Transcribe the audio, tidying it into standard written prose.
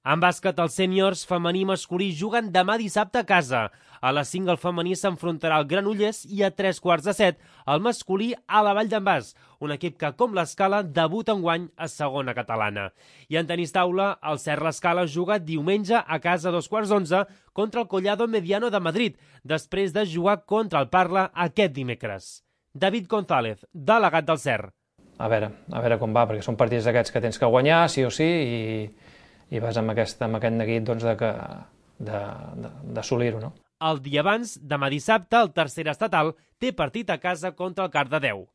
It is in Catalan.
En bàsquet, els sèniors femení i masculí juguen demà dissabte a casa. A les 5 el femení s'enfrontarà al Granollers i a 3:15 el masculí a la Vall d'en Bas, un equip que, com l'Escala, debuta enguany a segona catalana. I en tenis taula, el Cert l'Escala juga diumenge a casa a 2:15 contra el Collado Mediano de Madrid, després de jugar contra el Parla aquest dimecres. David González, delegat del Cert. A veure com va, perquè són partits d'aquests que tens que guanyar, sí o sí, i vas amb aquest neguit d'assolir-ho, no? El dia abans, demà dissabte, el tercer estatal té partit a casa contra el Cardedeu.